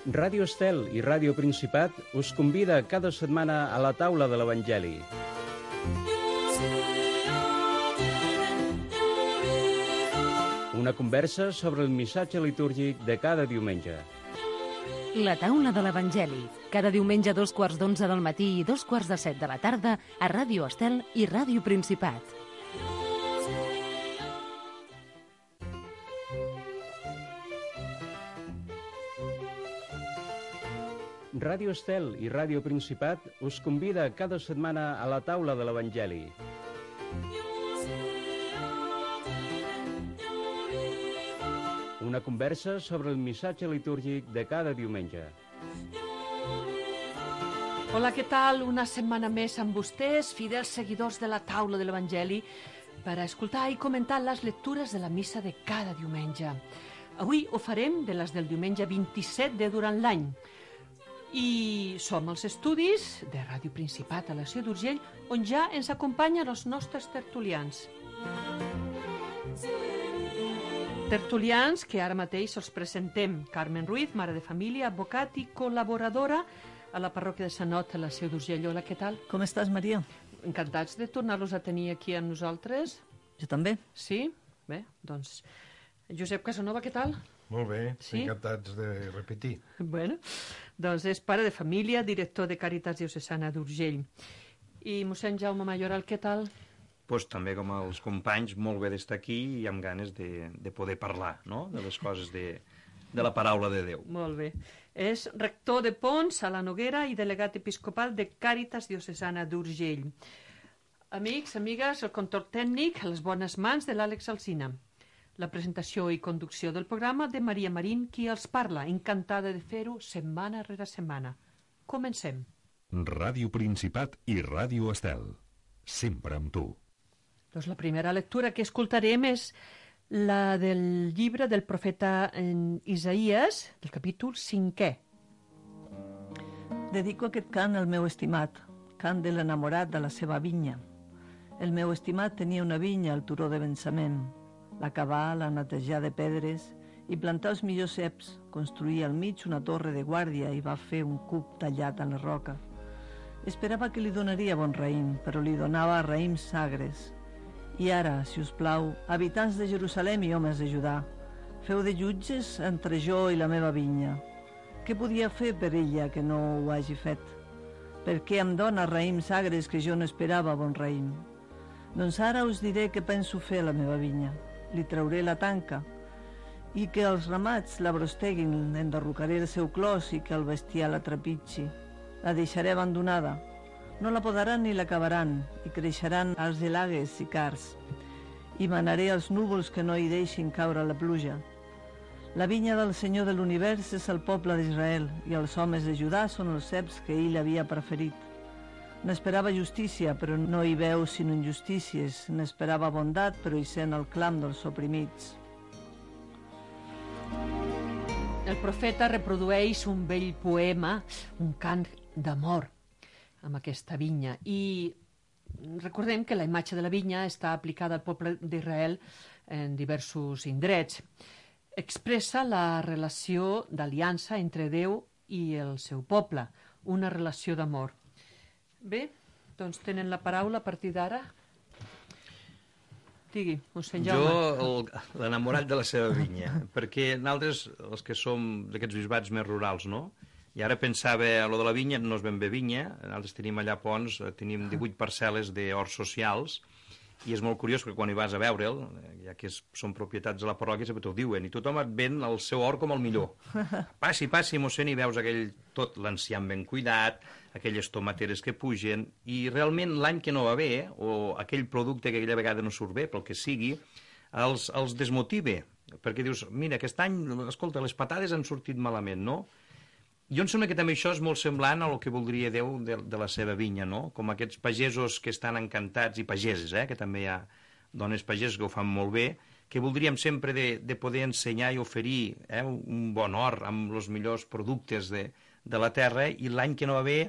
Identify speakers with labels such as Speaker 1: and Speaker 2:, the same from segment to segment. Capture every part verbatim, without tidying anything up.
Speaker 1: Ràdio Estel i Ràdio Principat us convida cada setmana a la taula de l'Evangeli. Una conversa sobre el missatge litúrgic de cada diumenge.
Speaker 2: La taula de l'Evangeli, cada diumenge a dos quarts d'onze del matí i dos quarts de set de la tarda a Ràdio Estel i Ràdio Principat.
Speaker 1: Ràdio Estel i Ràdio Principat us convida cada setmana a la taula de l'Evangeli. Una conversa sobre el missatge litúrgic de cada diumenge.
Speaker 3: Hola, què tal? Una setmana més amb vostès, fidels seguidors de la taula de l'Evangeli, per a escoltar i comentar les lectures de la missa de cada diumenge. Avui ho farem de les del diumenge vint-i-set de durant l'any. I som als estudis de Ràdio Principat a la Seu d'Urgell, on ja ens acompanyen els nostres tertulians. Tertulians que ara mateix els presentem. Carmen Ruiz, mare de família, advocat i col·laboradora a la parròquia de Sant Ot a la Seu d'Urgell. Hola, què tal?
Speaker 4: Com estàs, Maria?
Speaker 3: Encantats de tornar-los a tenir aquí amb nosaltres.
Speaker 4: Jo també.
Speaker 3: Sí? Bé, doncs... Josep Casanova, què tal?
Speaker 5: Molt bé,
Speaker 3: sí?
Speaker 5: Encantats de repetir.
Speaker 3: Bueno, doncs és pare de família, director de Càritas Diocesana d'Urgell. I mossèn Jaume Mayoral, què tal?
Speaker 6: Pues també com els companys, molt bé d'estar aquí i amb ganes de, de poder parlar, no?, de les coses de, de la paraula de Déu.
Speaker 3: Molt bé. És rector de Pons, a la Noguera, i delegat episcopal de Càritas Diocesana d'Urgell. Amics, amigues, el control tècnic a les bones mans de l'Àlex Alsina. La presentació i conducció del programa de Maria Marín, qui els parla, encantada de fer-ho setmana rere setmana. Comencem.
Speaker 7: Ràdio Principat i Ràdio Estel. Sempre amb tu.
Speaker 3: Doncs la primera lectura que escoltarem és la del llibre del profeta Isaïes, del capítol cinquè.
Speaker 4: Dedico aquest cant al meu estimat, cant de l'enamorat de la seva vinya. El meu estimat tenia una vinya al turó de Bensamem. La cavar, la netejar de pedres i plantar els millors ceps, construir al mig una torre de guàrdia i va fer un cub tallat a la roca. Esperava que li donaria bon raïm, però li donava raïms sagres. I ara, si us plau, habitants de Jerusalem i homes de Judà, feu de jutges entre jo i la meva vinya. Què podia fer per ella que no ho hagi fet? Per què em dona raïms sagres que jo no esperava bon raïm? Doncs ara us diré què penso fer a la meva vinya. Li trauré la tanca i que els ramats la brosteguin, enderrocaré el seu clos i que el bestiar la trepitgi. La deixaré abandonada. No la podaran ni l'acabaran i creixeran els gelagues i cars. I manaré els núvols que no hi deixin caure la pluja. La vinya del Senyor de l'univers és el poble d'Israel i els homes de Judà són els ceps que ell havia preferit. N'esperava justícia, però no hi veu sinó injustícies. N'esperava bondat, però hi sent el clam dels oprimits.
Speaker 3: El profeta reprodueix un vell poema, un cant d'amor, amb aquesta vinya. I recordem que la imatge de la vinya està aplicada al poble d'Israel en diversos indrets. Expressa la relació d'aliança entre Déu i el seu poble, una relació d'amor. Bé, doncs tenen la paraula a partir d'ara. Digui, mossèn Jaume.
Speaker 6: Jo, l'enamorat de la seva vinya, perquè nosaltres, els que som d'aquests bisbats més rurals, no? I ara pensava, a lo de la vinya no és ben bé vinya, nosaltres tenim allà a Pons, tenim divuit parcel·les d'horts socials, i és molt curiós que quan hi vas a veure'l, ja que són propietats de la parròquia, sempre t'ho diuen, i tothom et ven el seu hort com el millor. Passi, passi, mossèn, i veus aquell tot l'enciam ben cuidat, aquelles tomateres que pugen, i realment l'any que no va bé, o aquell producte que aquella vegada no surt bé, pel que sigui, els, els desmotive, perquè dius, mira, aquest any, escolta, les patades han sortit malament, no? Jo em sembla que també això és molt semblant a el que voldria Déu de, de la seva vinya, no? Com aquests pagesos que estan encantats, i pageses, eh? Que també hi ha dones pageses que ho fan molt bé, que voldríem sempre de, de poder ensenyar i oferir eh? un bon hort amb els millors productes de, de la terra, i l'any que no va bé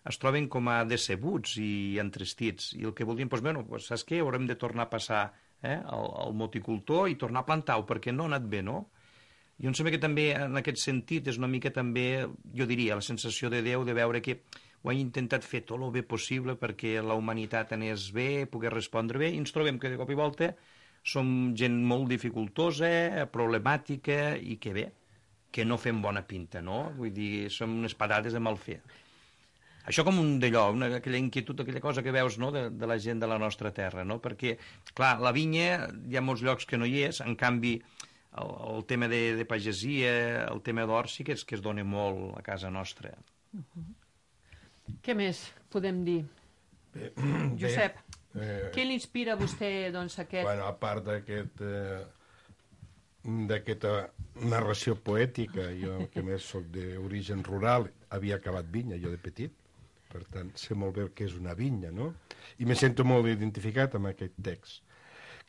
Speaker 6: es troben com a decebuts i entristits. I el que voldríem, doncs, bueno, doncs, saps què? Haurem de tornar a passar eh? el, el moticultor i tornar a plantar-ho, perquè no ha anat bé, no? Jo em sembla que també, en aquest sentit, és una mica també, jo diria, la sensació de Déu de veure que ho ha intentat fer tot el bé possible perquè la humanitat anés bé, pogués respondre bé, i ens trobem que de cop i volta som gent molt dificultosa, problemàtica, i que bé, que no fem bona pinta, no? Vull dir, som unes patades de mal fer. Això com un d'allò, una, aquella inquietud, aquella cosa que veus, no?, de, de la gent de la nostra terra, no? Perquè, clar, la vinya hi ha molts llocs que no hi és, en canvi, el, el tema de, de pagesia, el tema d'or, sí que és que es dona molt a casa nostra.
Speaker 3: Uh-huh. Què més podem dir?
Speaker 5: Bé,
Speaker 3: Josep,
Speaker 5: bé, eh,
Speaker 3: què l'inspira a vostè, doncs, aquest...
Speaker 5: Bueno, a part d'aquest... Eh, d'aquesta narració poètica, jo que més soc d'origen rural, havia acabat vinya jo de petit, per tant sé molt bé què és una vinya, no? I me sento molt identificat amb aquest text.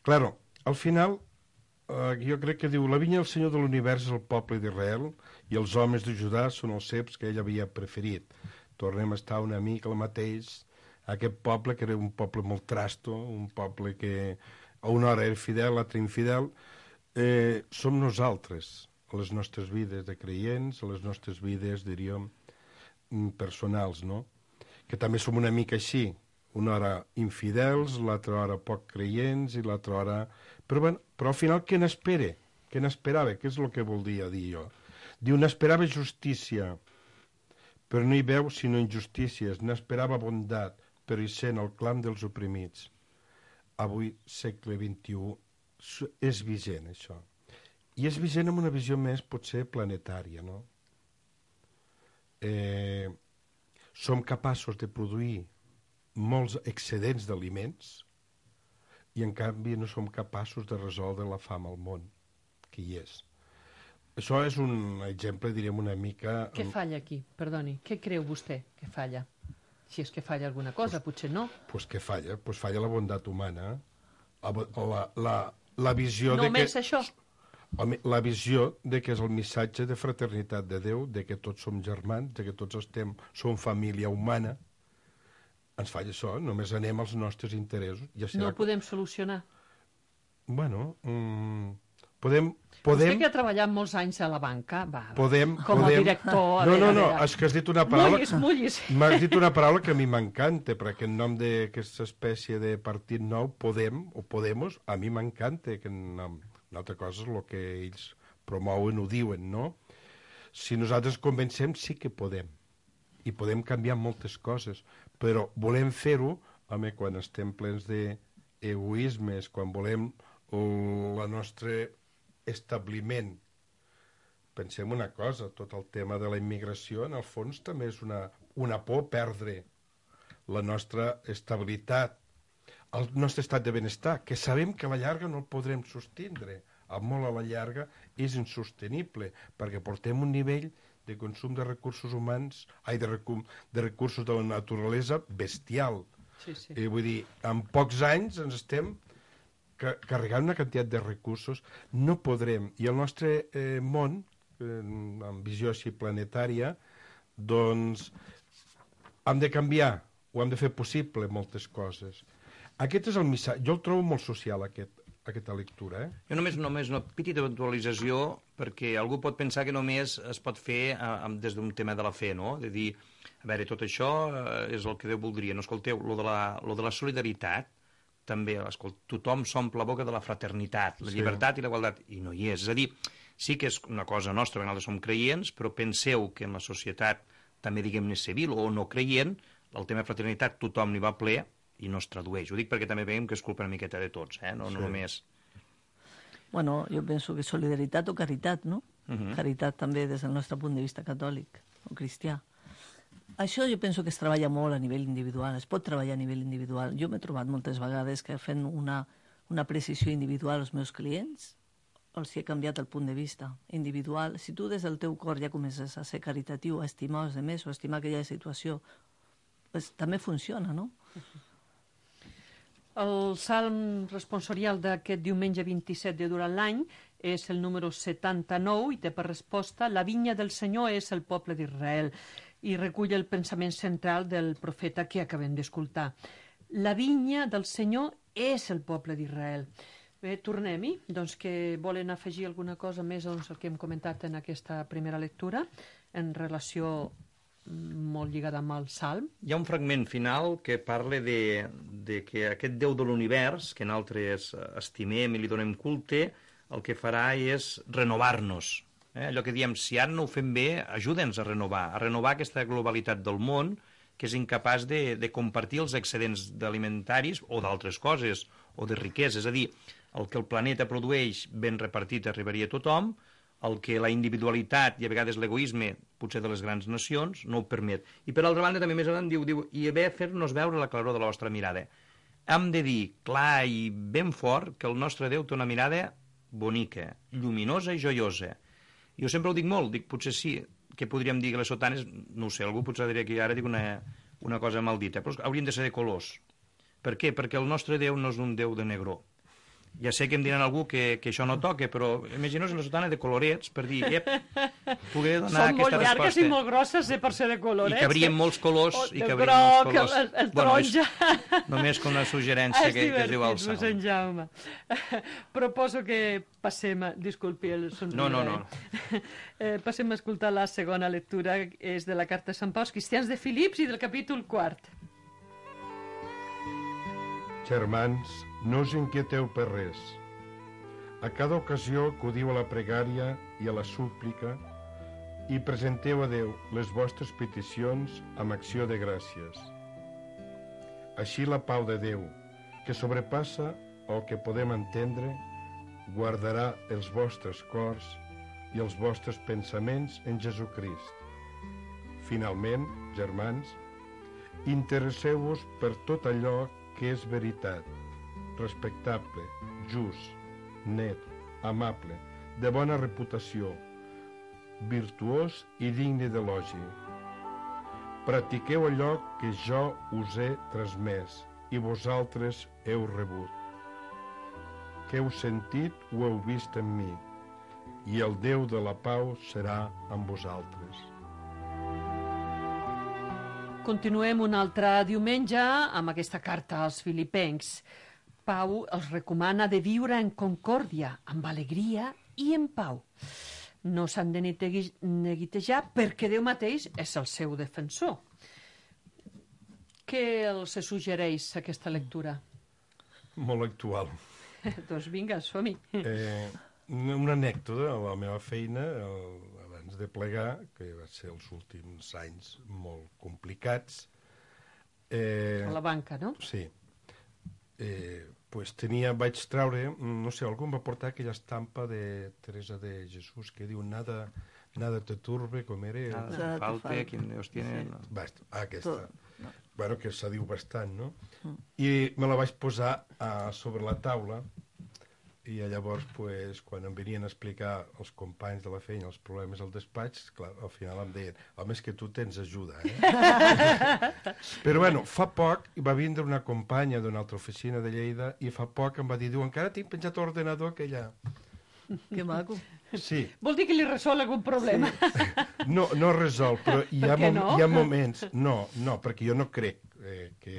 Speaker 5: Claro, al final eh, jo crec que diu la vinya del Senyor de l'univers és el poble d'Israel i els homes de Judà són els ceps que ell havia preferit. Tornem a estar una mica el mateix, aquest poble que era un poble molt trasto, un poble que a una hora era fidel, a l'altra infidel. Eh, som nosaltres, a les nostres vides de creients, a les nostres vides, diríem, personals, no? Que també som una mica així, una hora infidels, l'altra hora poc creients i l'altra hora... Però, bueno, però al final què n'espera? Què n'esperava? Què és el que volia dir jo? Diu, n'esperava justícia, però no hi veu sinó injustícies, n'esperava bondat, però hi sent el clam dels oprimits. Avui, segle vint-i-u, és vigent, això. I és vigent amb una visió més, potser, planetària, no? Eh, som capaços de produir molts excedents d'aliments i, en canvi, no som capaços de resoldre la fam al món, que hi és. Això és un exemple, diríem, una mica...
Speaker 3: Què falla aquí? Perdoni, què creu vostè que falla? Si és que falla alguna cosa, pues, potser no.
Speaker 5: Doncs pues què falla? Pues falla la bondat humana, la... la La visió
Speaker 3: Només
Speaker 5: de que,
Speaker 3: això?
Speaker 5: La visió de que és el missatge de fraternitat de Déu, de que tots som germans, de que tots estem, som família humana. Ens falla això, només anem als nostres interessos. Ja
Speaker 3: no ho podem solucionar?
Speaker 5: Bueno, mmm, podem, podem...
Speaker 3: Vostè que ha treballat molts anys a la banca, va,
Speaker 5: podem,
Speaker 3: com
Speaker 5: podem...
Speaker 3: a director...
Speaker 5: No, no, no,
Speaker 3: a
Speaker 5: és que has dit una paraula...
Speaker 3: Mullis, mullis.
Speaker 5: M'has dit una paraula que a mi m'encanta, perquè en nom d'aquesta espècie de partit nou, Podem, o Podemos, a mi m'encanta, que en, en altra cosa és el que ells promouen o diuen, no? Si nosaltres convencem, sí que podem. I podem canviar moltes coses, però volem fer-ho, home, quan estem plens d'egoismes, quan volem el nostre establiment. Pensem una cosa, tot el tema de la immigració, en el fons, també és una, una por perdre la nostra estabilitat, el nostre estat de benestar, que sabem que a la llarga no el podrem sostindre. A molt a la llarga és insostenible, perquè portem un nivell de consum de recursos humans, ai, de, recu de recursos de la naturalesa bestial.
Speaker 3: Sí, sí.
Speaker 5: Eh, vull dir, en pocs anys ens estem ca carregant una quantitat de recursos. No podrem. I el nostre eh, món, eh, amb visió així planetària, doncs hem de canviar, o hem de fer possible moltes coses. Aquest és el missatge. Jo el trobo molt social, aquest, aquesta lectura. Eh?
Speaker 6: Jo només, només una petita puntualització, perquè algú pot pensar que només es pot fer eh, des d'un tema de la fe, no? De dir, a veure, tot això eh, és el que Déu voldria. No, escolteu, lo de la, lo de la solidaritat, també, escolta, tothom s'omple la boca de la fraternitat, la
Speaker 5: sí.
Speaker 6: llibertat i la igualtat, i no hi és. És a dir, sí que és una cosa nostra, perquè nosaltres som creients, però penseu que en la societat, també diguem-ne civil o no creient, el tema de fraternitat tothom n'hi va ple, i no es tradueix. Ho dic perquè també veiem que és culpa una miqueta de tots, eh? no, no sí. només...
Speaker 4: Bueno, jo penso que solidaritat o caritat, no? Uh -huh. Caritat també des del nostre punt de vista catòlic o cristià. Això jo penso que es treballa molt a nivell individual, es pot treballar a nivell individual. Jo m'he trobat moltes vegades que fent una, una precisió individual als meus clients, els he canviat el punt de vista individual. Si tu des del teu cor ja comences a ser caritatiu, a estimar els demés o a estimar aquella situació, pues, també funciona, no? Uh -huh.
Speaker 3: El salm responsorial d'aquest diumenge vint-i-set de durant l'any és el número setanta-nou i té per resposta la vinya del Senyor és el poble d'Israel i recull el pensament central del profeta que acabem d'escoltar. La vinya del Senyor és el poble d'Israel. Bé, tornem-hi. Doncs que volen afegir alguna cosa més doncs, el que hem comentat en aquesta primera lectura en relació molt lligada amb el Salm.
Speaker 6: Hi ha un fragment final que parla de, de que aquest Déu de l'univers, que nosaltres estimem i li donem culte, el que farà és renovar-nos. Eh? Allò que diem, si ara no ho fem bé, ajuda'ns a renovar, a renovar aquesta globalitat del món que és incapaç de, de compartir els excedents alimentaris o d'altres coses, o de riquesa. És a dir, el que el planeta produeix ben repartit arribaria a tothom, el que la individualitat i a vegades l'egoisme, potser de les grans nacions, no ho permet. I per altra banda també més endavant diu, diu i haver fer-nos veure la claror de la vostra mirada. Hem de dir clar i ben fort que el nostre Déu té una mirada bonica, lluminosa i joiosa. Jo sempre ho dic molt, dic potser sí, que podríem dir que les sotanes, no ho sé, algú potser diria que ara dic una, una cosa mal dita, però haurien de ser de colors. Per què? Perquè el nostre Déu no és un Déu de negró. Ja sé que em diran algú que, que això no toca, però imagineu la sotana de colorets per dir, ep, poder donar
Speaker 3: Són
Speaker 6: aquesta resposta.
Speaker 3: molt llargues i molt grosses eh, per ser de colorets.
Speaker 6: I cabrien molts colors.
Speaker 3: O,
Speaker 6: I
Speaker 3: el
Speaker 6: cabrien
Speaker 3: groc,
Speaker 6: molts colors.
Speaker 3: el, el
Speaker 6: bueno,
Speaker 3: taronja.
Speaker 6: és només com una suggerència que, que es diu al
Speaker 3: Salm.
Speaker 6: Salm.
Speaker 3: Jaume. Proposo que passem, a, disculpi el somriure.
Speaker 6: No, no, no.
Speaker 3: Eh, passem a escoltar la segona lectura, és de la carta de Sant Pau als cristians de Filips i del capítol quart.
Speaker 5: Germans, no us inquieteu per res. A cada ocasió acudiu a la pregària i a la súplica i presenteu a Déu les vostres peticions amb acció de gràcies. Així la pau de Déu, que sobrepassa el que podem entendre, guardarà els vostres cors i els vostres pensaments en Jesucrist. Finalment, germans, interesseu-vos per tot allò que és veritat, respectable, just, net, amable, de bona reputació, virtuós i digne d'elogi. Practiqueu allò que jo us he transmès i vosaltres heu rebut. Que heu sentit o heu vist en mi, i el Déu de la pau serà amb vosaltres.
Speaker 3: Continuem un altre diumenge amb aquesta carta als filipencs. Pau els recomana de viure en concòrdia, amb alegria i en pau. No s'han de neguitejar perquè Déu mateix és el seu defensor. Què els suggereix aquesta lectura?
Speaker 5: Molt actual.
Speaker 3: Doncs vinga, som-hi.
Speaker 5: Eh, una anècdota a la meva feina, el, abans de plegar, que va ser els últims anys molt complicats. Eh,
Speaker 3: A la banca, no?
Speaker 5: Sí. Eh, pues tenia, vaig treure, no sé, algú em va portar aquella estampa de Teresa de Jesús que diu nada, nada te turbe, com era?
Speaker 6: Nada te falte, quien Dios tiene...
Speaker 5: Sí.
Speaker 6: No.
Speaker 5: Basta, aquesta.
Speaker 4: No.
Speaker 5: Bueno, que se diu bastant, no?
Speaker 4: Mm.
Speaker 5: I me la vaig posar uh, sobre la taula i llavors, pues, quan em venien a explicar els companys de la feina els problemes al despatx, clar, al final em deien, home, és que tu tens ajuda, eh? Però, bueno, fa poc va vindre una companya d'una altra oficina de Lleida i fa poc em va dir, diu, encara tinc penjat l'ordenador que allà.
Speaker 4: Que maco.
Speaker 5: Sí.
Speaker 3: Vol dir que li resol algun problema?
Speaker 5: Sí. No, no resol, però hi ha,
Speaker 3: Per què
Speaker 5: mom
Speaker 3: no?
Speaker 5: hi ha moments... No, no, perquè jo no crec eh, que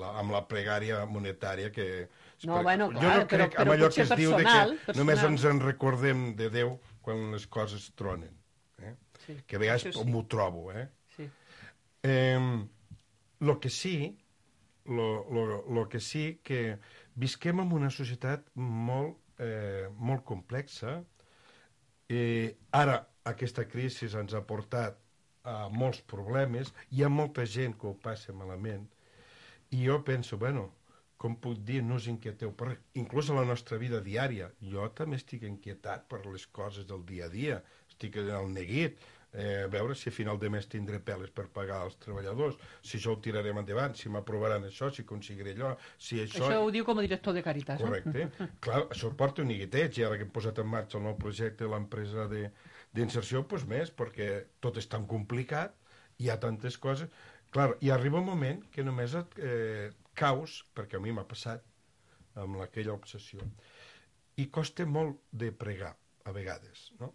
Speaker 5: la, amb la pregària monetària que...
Speaker 3: No, bueno,
Speaker 5: jo
Speaker 3: clar,
Speaker 5: no crec
Speaker 3: però- però
Speaker 5: amb allò
Speaker 3: potser
Speaker 5: que es diu de
Speaker 3: personal,
Speaker 5: que
Speaker 3: personal.
Speaker 5: només ens en recordem de Déu quan les coses tronen. Eh?
Speaker 3: Sí,
Speaker 5: Que a vegades
Speaker 3: això sí.
Speaker 5: m'ho trobo, eh?
Speaker 3: Sí.
Speaker 5: Eh, lo que sí, lo, lo, lo que sí que visquem en una societat molt, eh, molt complexa. Eh, ara aquesta crisi ens ha portat a molts problemes, hi ha molta gent que ho passa malament, i jo penso, bueno, com puc dir, no us inquieteu, per, inclús a la nostra vida diària, jo també estic inquietat per les coses del dia a dia, estic al neguit, eh, a veure si a final de mes tindré peles per pagar als treballadors, si això ho tirarem endavant, si m'aprovaran això, si aconseguiré allò, si això...
Speaker 3: Això ho diu com a director de Càritas, no?
Speaker 5: Correcte. Clar, això porta un neguiteig, i ara que hem posat en marxa el nou projecte de l'empresa d'inserció, doncs més, perquè tot és tan complicat, hi ha tantes coses... Clar, i arriba un moment que només et eh, caus, perquè a mi m'ha passat, amb aquella obsessió, i costa molt de pregar, a vegades, no?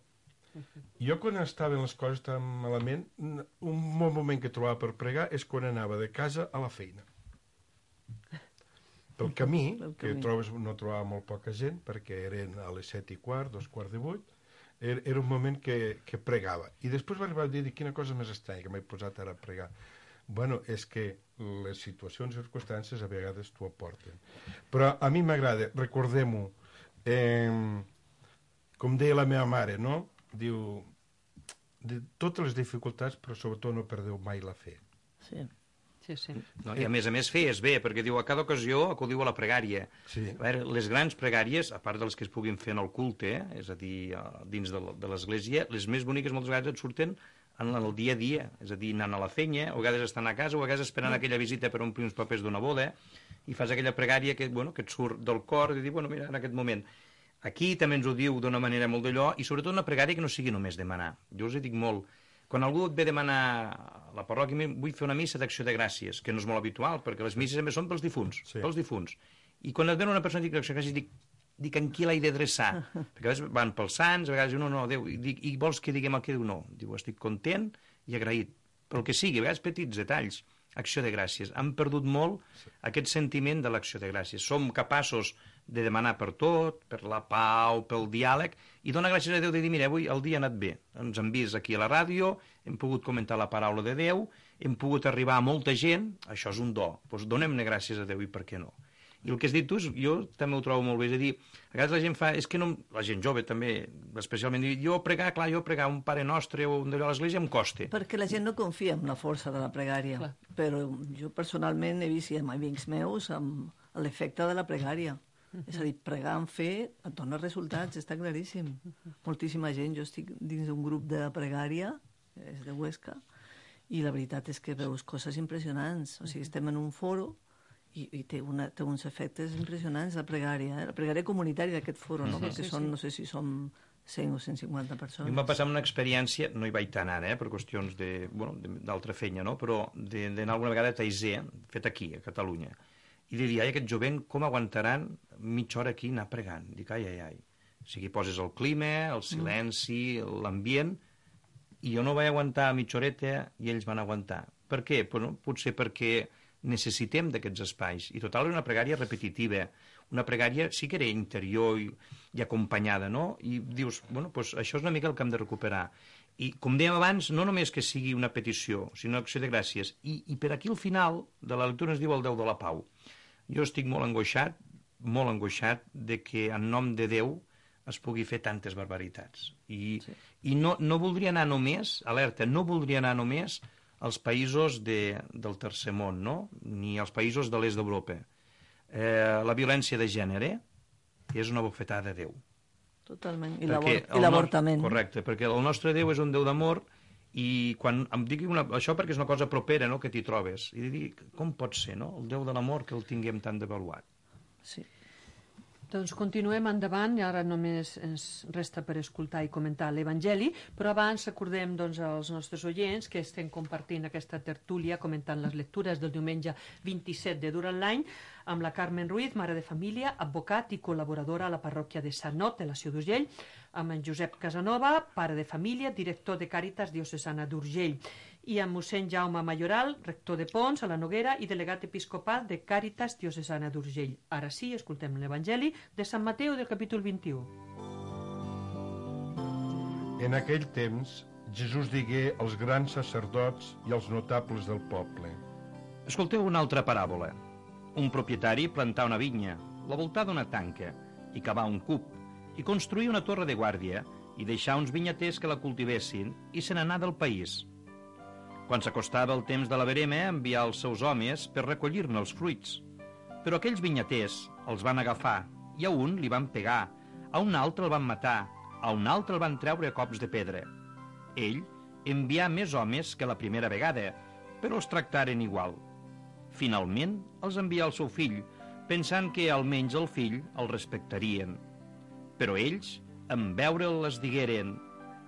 Speaker 5: Jo quan estaven les coses tan malament, un bon moment que trobava per pregar és quan anava de casa a la feina. pel camí,
Speaker 4: Pel
Speaker 5: que
Speaker 4: camí.
Speaker 5: trobes, no trobava molt poca gent, perquè eren a les set i quart, dos quarts de vuit, era, era un moment que, que pregava. I després va arribar a dir, quina cosa més estranya, que m'he posat ara a pregar. Bueno, és que les situacions i circumstàncies a vegades t'ho aporten. Però a mi m'agrada, recordem-ho, eh, com deia la meva mare, no? Diu, de totes les dificultats, però sobretot no perdeu mai la fe.
Speaker 4: Sí.
Speaker 3: Sí, sí.
Speaker 6: No, I a més a més feies bé, perquè diu a cada ocasió acudiu a la pregària.
Speaker 5: Sí.
Speaker 6: A veure, les grans pregàries, a part de les que es puguin fer en el culte, eh, és a dir, dins de, de l'església, les més boniques moltes vegades et surten en el dia a dia, és a dir, anant a la fenya, o a vegades estan a casa, o a vegades esperant aquella visita per omplir uns papers d'una boda, i fas aquella pregària que, bueno, que et surt del cor, i dir, bueno, mira, en aquest moment... Aquí també ens ho diu d'una manera molt d'allò, i sobretot una pregària que no sigui només demanar. Jo us hi dic molt, quan algú et ve demanar a la parròquia, vull fer una missa d'acció de gràcies, que no és molt habitual, perquè les misses també són pels difunts,
Speaker 5: Sí.
Speaker 6: pels difunts. I quan et ve una persona i dic d'acció de gràcies, dic, dic en qui l'he d'adreçar? Perquè a vegades van pels sants, a vegades diu, no, no, Déu, i, dic, i vols que diguem el que diu? No. Diu, estic content i agraït, pel que sigui, a vegades petits detalls. Acció de gràcies. Han perdut molt aquest sentiment de l'acció de gràcies. Som capaços de demanar per tot, per la pau, pel diàleg, i donar gràcies a Déu de dir, mira, avui el dia ha anat bé. Ens han vist aquí a la ràdio, hem pogut comentar la paraula de Déu, hem pogut arribar a molta gent, això és un do. Doncs donem-ne gràcies a Déu i per què no? I el que has dit tu, jo també ho trobo molt bé, és a dir, a vegades la gent fa, és que no, la gent jove també, especialment, jo pregar, clar, jo pregar un Pare Nostre o un d'allò a l'església em costa.
Speaker 4: Perquè la gent no confia en la força de la pregària.
Speaker 3: Clar.
Speaker 4: Però jo personalment he vist amb amics meus amb l'efecte de la pregària. És a dir, pregar amb fe et dona resultats, està claríssim. Moltíssima gent, jo estic dins d'un grup de pregària, és de Huesca, i la veritat és que veus coses impressionants. O sigui, estem en un foro i, i té, una, té uns efectes impressionants la pregària, eh? La pregària comunitària d'aquest foro, no?
Speaker 3: Sí,
Speaker 4: Perquè
Speaker 3: sí,
Speaker 4: són,
Speaker 3: sí.
Speaker 4: no sé si som cent o cent cinquanta
Speaker 6: A
Speaker 4: persones.
Speaker 6: mi em va passar una experiència, no hi vaig tant ara, eh, per qüestions de, bueno, d'altra fenya, no? Però d'anar alguna vegada a Taizé, fet aquí, a Catalunya, i de dir, ai, aquest jovent, com aguantaran mitja hora aquí anar pregant? Dic, ai, ai, ai. O sigui, poses el clima, el silenci, l'ambient, i jo no vaig aguantar mitja horeta i ells van aguantar. Per què? Pues, no, potser perquè necessitem d'aquests espais. I total, era una pregària repetitiva. Una pregària sí que era interior i, i acompanyada, no? I dius, bueno, pues això és una mica el que hem de recuperar. I, com dèiem abans, no només que sigui una petició, sinó acció de gràcies. I, i per aquí al final de la lectura es diu el Déu de la Pau. Jo estic molt angoixat, molt angoixat de que en nom de Déu es pugui fer tantes barbaritats. I, sí. i no, no voldria anar només, alerta, no voldria anar només als països de, del tercer món, no? Ni als països de l'est d'Europa. Eh, la violència de gènere és una bofetada de Déu.
Speaker 4: Totalment. I
Speaker 6: Perquè
Speaker 4: l'avortament.
Speaker 6: No... Correcte, perquè el nostre Déu és un Déu d'amor i quan em digui una... això perquè és una cosa propera, no?, que t'hi trobes. I dic, com pot ser, no?, el Déu de l'amor que el tinguem tan devaluat.
Speaker 4: Sí.
Speaker 3: Doncs continuem endavant, i ara només ens resta per escoltar i comentar l'Evangeli, però abans recordem doncs, als nostres oients que estem compartint aquesta tertúlia comentant les lectures del diumenge vint-i-set de durant l'any amb la Carmen Ruiz, mare de família, advocat i col·laboradora a la parròquia de Sant Not, de la Seu d'Urgell, amb en Josep Casanova, pare de família, director de Càritas Diocesana d'Urgell, i amb mossèn Jaume Mayoral, rector de Pons, a la Noguera, i delegat episcopal de Càritas Diocesana d'Urgell. Ara sí, escoltem l'Evangeli de Sant Mateu del capítol vint-i-u.
Speaker 5: En aquell temps, Jesús digué als grans sacerdots i als notables del poble:
Speaker 6: Escolteu una altra paràbola. Un propietari plantà una vinya, la voltà d'una tanca, i cavà un cub, i construí una torre de guàrdia, i deixà uns vinyaters que la cultivessin, i se n'anà del país. Quan s'acostava el temps de la verema, envià els seus homes per recollir-ne els fruits. Però aquells vinyaters els van agafar, i a un li van pegar, a un altre el van matar, a un altre el van treure a cops de pedra. Ell envià més homes que la primera vegada, però els tractaren igual. Finalment, els envià el seu fill, pensant que almenys el fill el respectarien. Però ells, en veure'l, es digueren: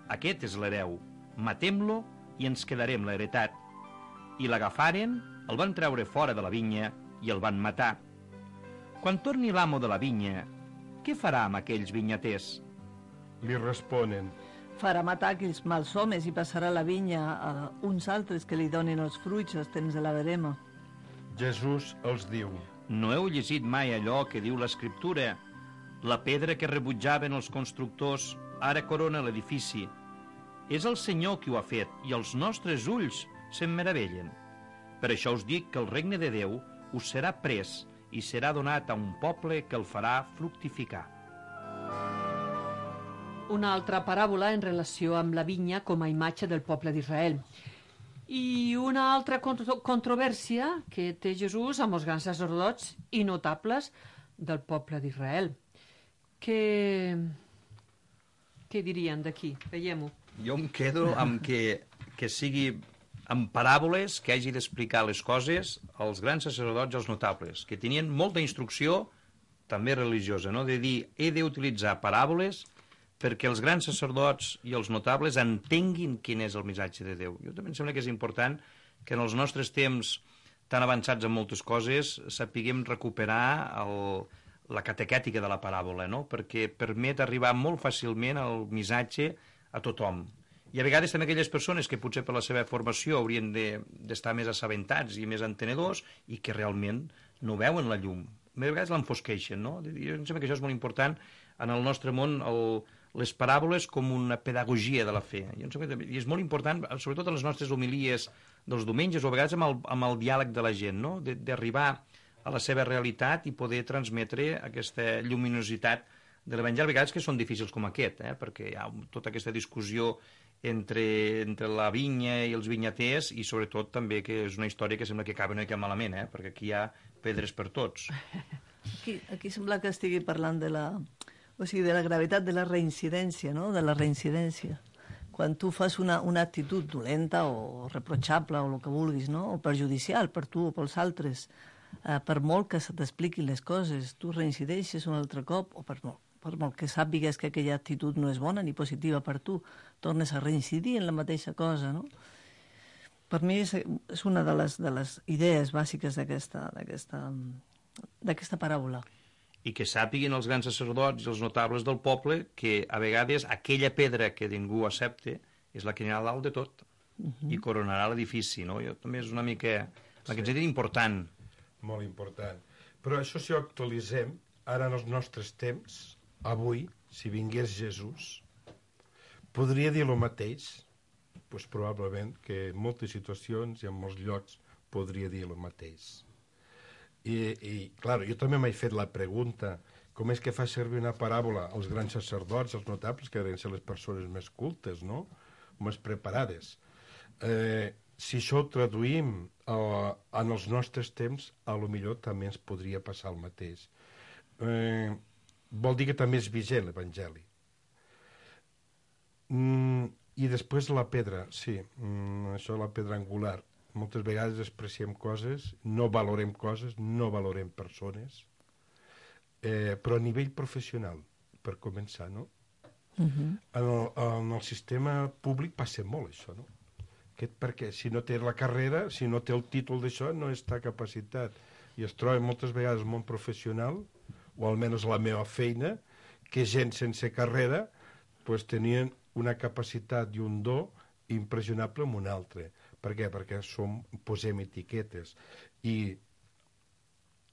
Speaker 6: aquest és l'hereu, matem-lo i ens quedarem l'heretat. I l'agafaren, el van treure fora de la vinya i el van matar. Quan torni l'amo de la vinya, què farà amb aquells vinyaters?
Speaker 5: Li responen:
Speaker 4: Farà matar aquells mals homes i passarà la vinya a uns altres que li donin els fruits als temps de la verema.
Speaker 5: Jesús els diu:
Speaker 6: No heu llegit mai allò que diu l'Escriptura? La pedra que rebutjaven els constructors ara corona l'edifici. És el Senyor qui ho ha fet i els nostres ulls se'n meravellen. Per això us dic que el regne de Déu us serà pres i serà donat a un poble que el farà fructificar.
Speaker 3: Una altra paràbola en relació amb la vinya com a imatge del poble d'Israel. I una altra contro controvèrsia que té Jesús amb els grans sacerdots i notables del poble d'Israel. Què... Què dirien d'aquí? Veiem-ho.
Speaker 6: Jo em quedo amb que, que sigui amb paràboles que hagi d'explicar les coses als grans sacerdots i als notables, que tenien molta instrucció, també religiosa, no? De dir, he d'utilitzar paràboles perquè els grans sacerdots i els notables entenguin quin és el missatge de Déu. Jo també em sembla que és important que en els nostres temps tan avançats en moltes coses sapiguem recuperar el, la catequètica de la paràbola, no? Perquè permet arribar molt fàcilment al missatge a tothom. I a vegades també aquelles persones que potser per la seva formació haurien d'estar de, més assabentats i més entenedors i que realment no veuen la llum. A vegades l'enfosqueixen, no? Jo em sembla que això és molt important en el nostre món, el, les paràboles com una pedagogia de la fe. Jo em sembla que, i és molt important, sobretot en les nostres homilies dels diumenges o a vegades amb el, amb el diàleg de la gent, no? D'arribar a la seva realitat i poder transmetre aquesta lluminositat de l'Evangeli, a vegades que són difícils com aquest, eh? Perquè hi ha tota aquesta discussió entre, entre la vinya i els vinyaters i sobretot també que és una història que sembla que acaba una mica malament, eh? Perquè aquí hi ha pedres per tots.
Speaker 4: Aquí, aquí sembla que estigui parlant de la, o sigui, de la gravetat de la reincidència, no? De la reincidència. Quan tu fas una, una actitud dolenta o reprotxable o el que vulguis, no? O perjudicial per tu o pels altres, eh, per molt que se t'expliquin les coses, tu reincideixes un altre cop o per molt, per molt que sàpigues que aquella actitud no és bona ni positiva per tu, tornes a reincidir en la mateixa cosa, no? Per mi és, és una de les, de les idees bàsiques d'aquesta d'aquesta paràbola.
Speaker 6: I que sàpiguen els grans sacerdots i els notables del poble que a vegades aquella pedra que ningú accepta és la que anirà a dalt de tot uh -huh. i coronarà l'edifici, no? Jo també és una mica... Sí. La que ens dit important.
Speaker 5: Molt important. Però això si ho actualitzem, ara en els nostres temps, avui, si vingués Jesús, podria dir el mateix? Pues probablement que en moltes situacions i en molts llocs podria dir el mateix. I, i clar, jo també m'he fet la pregunta, com és que fa servir una paràbola als grans sacerdots, als notables, que deuen ser les persones més cultes, no? Més preparades. Eh, si això ho traduïm eh, en els nostres temps, a lo millor també ens podria passar el mateix. Eh, vol dir que també és vigent l'Evangeli. Mm, I després la pedra, sí, mm, això la pedra angular. Moltes vegades despreciem coses, no valorem coses, no valorem persones, eh, però a nivell professional, per començar, no? Uh-huh. en, el, en el sistema públic passa molt això, no? Aquest, perquè si no té la carrera, si no té el títol d'això, no està capacitat. I es troba moltes vegades el món professional, o almenys la meva feina, que gent sense carrera pues, tenien una capacitat i un do impressionable amb un altre. Per què? Perquè som, posem etiquetes. I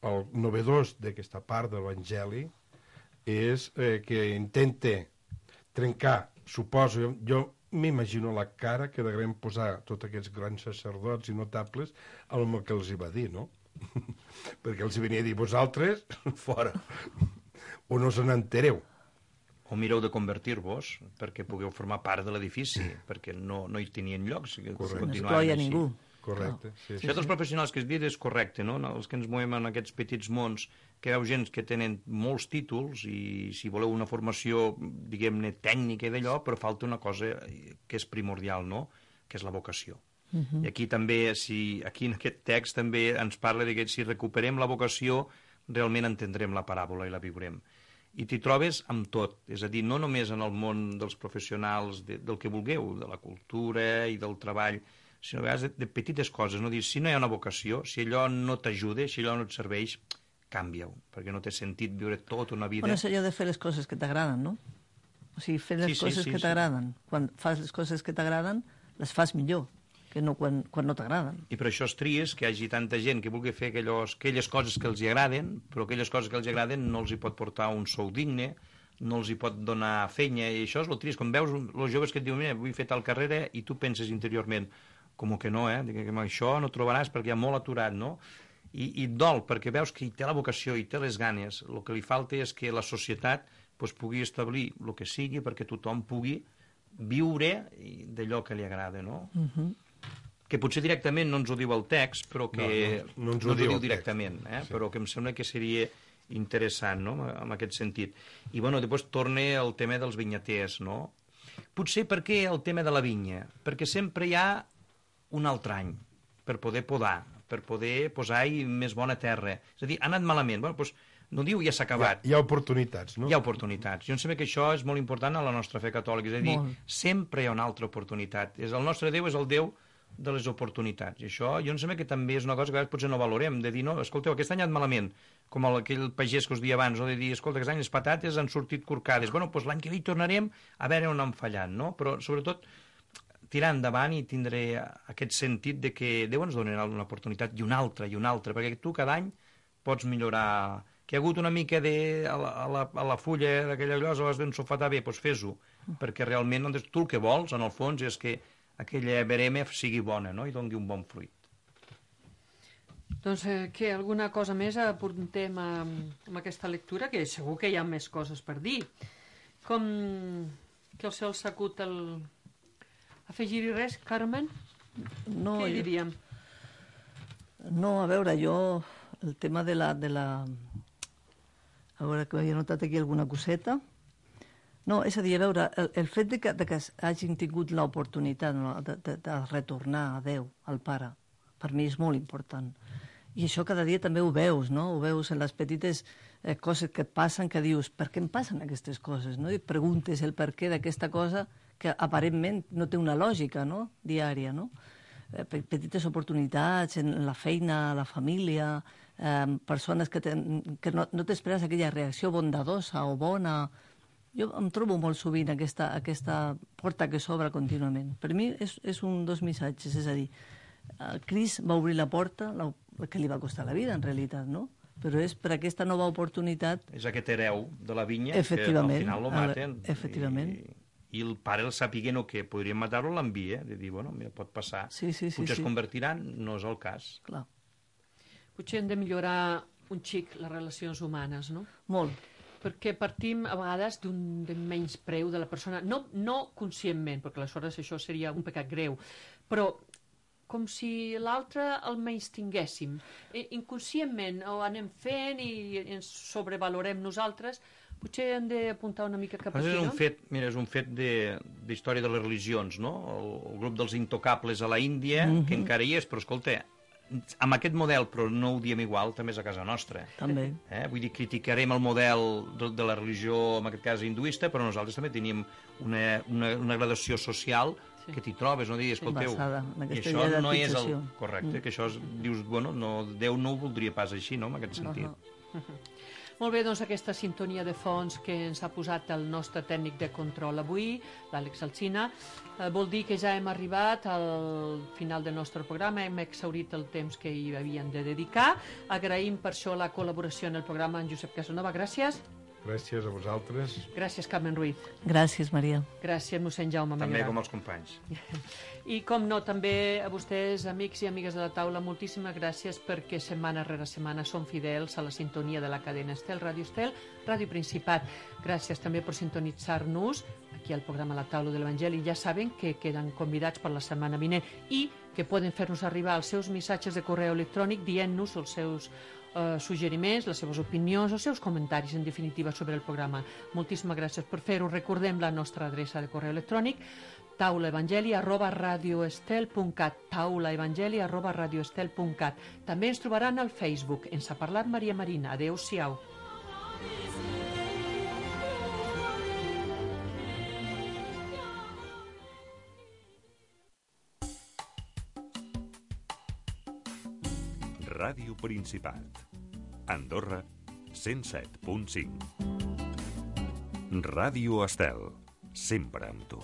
Speaker 5: el novedós d'aquesta part de l'Evangeli és eh, que intenta trencar, suposo, jo, jo m'imagino la cara que devem posar tots aquests grans sacerdots i notables amb el que els hi va dir, no? Perquè els hi venia a dir, vosaltres, fora, o no se n'entereu.
Speaker 6: O mireu de convertir-vos perquè pugueu formar part de l'edifici, perquè no, no hi tenien llocs.
Speaker 4: No excloia ningú.
Speaker 5: Correcte.
Speaker 4: No.
Speaker 5: Sí, sí,
Speaker 6: això dels professionals que has dit és correcte, no? Els que ens movem en aquests petits mons, que veu gent que tenen molts títols i si voleu una formació, diguem-ne, tècnica i d'allò, però falta una cosa que és primordial, no? Que és la vocació. Uh -huh. I aquí també, si, aquí en aquest text també ens parla de que si recuperem la vocació, realment entendrem la paràbola i la viurem. I t'hi trobes amb tot, és a dir, no només en el món dels professionals de, del que vulgueu, de la cultura i del treball, sinó a vegades de, de petites coses, no? Dir, si no hi ha una vocació, si allò no t'ajuda, si allò no et serveix, canvia-ho, perquè no té sentit viure tota una vida...
Speaker 4: Bueno, és allò de fer les coses que t'agraden, no? O sigui, fer les sí, coses sí, sí, que t'agraden. Sí. Quan fas les coses que t'agraden, les fas millor que no quan, quan no t'agraden.
Speaker 6: I per això és trist que hi hagi tanta gent que vulgui fer aquelles, aquelles coses que els hi agraden, però aquelles coses que els hi agraden no els hi pot portar un sou digne, no els hi pot donar feina, i això és el trist. Quan veus els joves que et diuen, mira, vull fer tal carrera, i tu penses interiorment, com que no, eh? Que això no trobaràs perquè hi ha molt aturat, no? I, i dol, perquè veus que hi té la vocació, hi té les ganes. El que li falta és que la societat pues, pugui establir el que sigui perquè tothom pugui viure d'allò que li agrada, no? Uh-huh. Que potser directament no ens ho diu el text, però que
Speaker 5: no, no, no ens ho,
Speaker 6: no ens ho
Speaker 5: diu
Speaker 6: diu directament, eh? Sí. Però que em sembla que seria interessant, no?, en aquest sentit. I, bueno, després torna el tema dels vinyaters, no? Potser perquè el tema de la vinya? Perquè sempre hi ha un altre any per poder podar, per poder posar-hi més bona terra. És a dir, ha anat malament. Bueno, doncs, no diu ja s'ha acabat.
Speaker 5: Hi ha, hi ha oportunitats, no?
Speaker 6: Hi ha oportunitats. Jo em sembla que això és molt important a la nostra fe catòlica. És a dir,
Speaker 4: molt.
Speaker 6: Sempre hi ha una altra oportunitat. És el nostre Déu és el Déu de les oportunitats. I això jo em sembla que també és una cosa que a vegades potser no valorem, de dir, no, escolteu, aquest any ha anat malament, com el, aquell pagès que us dia abans, no? De dir, escolta, aquest any les patates han sortit corcades. Bueno, doncs l'any que ve hi tornarem a veure on han fallat, no? Però, sobretot, tirar endavant i tindré aquest sentit de que Déu ens donarà una oportunitat i una altra, i una altra, perquè tu cada any pots millorar. Que hi ha hagut una mica de, a, la, a, la, a la fulla d'aquella llosa, l'has d'ensofatar bé, doncs fes-ho, perquè realment doncs, tu el que vols, en el fons, és que aquella verema sigui bona, no?, i doni un bon fruit.
Speaker 3: Doncs eh, què, alguna cosa més apuntem a, a aquesta lectura, que segur que hi ha més coses per dir. Com que el cel s'acut el... Afegir-hi res, Carmen?
Speaker 4: No,
Speaker 3: Què
Speaker 4: jo...
Speaker 3: diríem?
Speaker 4: No, a veure, jo... El tema de la... De la... A veure, que havia notat aquí alguna coseta. No, és a dir, a veure, el, el fet de que, de que hagin tingut l'oportunitat, no, de, de, de retornar a Déu, al Pare, per mi és molt important. I això cada dia també ho veus, no? Ho veus en les petites eh, coses que et passen, que dius, per què em passen aquestes coses, no? I et preguntes el per què d'aquesta cosa que aparentment no té una lògica, no?, diària, no? Eh, petites oportunitats en la feina, a la família, eh, persones que, ten, que no, no t'esperes aquella reacció bondadosa o bona. Jo em trobo molt sovint aquesta, aquesta porta que s'obre contínuament. Per mi és, és un dos missatges, és a dir, Crist va obrir la porta, la, que li va costar la vida, en realitat, no? Però és per aquesta nova oportunitat...
Speaker 6: És aquest hereu de la vinya que al final lo maten.
Speaker 4: Efectivament.
Speaker 6: I, i el pare el sàpiguen o que podrien matar-lo, l'envia, de dir, bueno, mira, pot passar.
Speaker 4: Sí, sí, sí,
Speaker 6: potser
Speaker 4: sí.
Speaker 6: es convertiran, no és el cas.
Speaker 4: Clar.
Speaker 3: Potser hem de millorar un xic les relacions humanes, no?
Speaker 4: Molt.
Speaker 3: Perquè partim a vegades d'un menyspreu de la persona, no, no conscientment, perquè aleshores això seria un pecat greu, però com si l'altre el menys tinguéssim. Inconscientment ho anem fent i ens sobrevalorem nosaltres, potser hem d'apuntar una mica cap aquí,
Speaker 6: és un
Speaker 3: no?
Speaker 6: Fet, mira, és un fet d'història de, de les religions, no? El, el grup dels intocables a la Índia, mm-hmm. que encara hi és, però escolta, amb aquest model, però no ho diem igual, també és a casa nostra.
Speaker 4: També.
Speaker 6: Eh? Vull dir, criticarem el model de, de la religió, en aquest cas hinduista, però nosaltres també tenim una, una, una gradació social sí. que t'hi trobes, no? Dir, escolteu, i això no és el correcte, mm. que això és, dius, bueno, no, Déu no ho voldria pas així, no?, en aquest sentit.
Speaker 3: Uh -huh. Molt bé, doncs aquesta sintonia de fons que ens ha posat el nostre tècnic de control avui, l'Àlex Alsina, eh, vol dir que ja hem arribat al final del nostre programa, hem exhaurit el temps que hi havíem de dedicar. Agraïm per això la col·laboració en el programa en Josep Casanova. Gràcies.
Speaker 5: Gràcies a vosaltres.
Speaker 3: Gràcies, Carmen Ruiz.
Speaker 4: Gràcies, Maria.
Speaker 3: Gràcies, mossèn Jaume Mayoral.
Speaker 6: També com els companys.
Speaker 3: I com no, també a vostès, amics i amigues de la taula, moltíssimes gràcies perquè setmana rere setmana són fidels a la sintonia de la cadena Estel, Ràdio Estel, Ràdio Principat. Gràcies també per sintonitzar-nos aquí al programa La Taula de l'Evangeli. Ja saben que queden convidats per la setmana vinent i que poden fer-nos arribar els seus missatges de correu electrònic dient-nos els seus Uh, suggeriments, les seves opinions, els seus comentaris, en definitiva, sobre el programa. Moltíssimes gràcies per fer-ho. Recordem la nostra adreça de correu electrònic, taulaevangeli arroba radioestel punt cat, taulaevangeli arroba radioestel punt cat. També ens trobaran al Facebook. Ens ha parlat Maria Marina. Adéu-siau.
Speaker 7: Ràdio Principat. Andorra, cent set punt cinc. Ràdio Estel, sempre amb tu.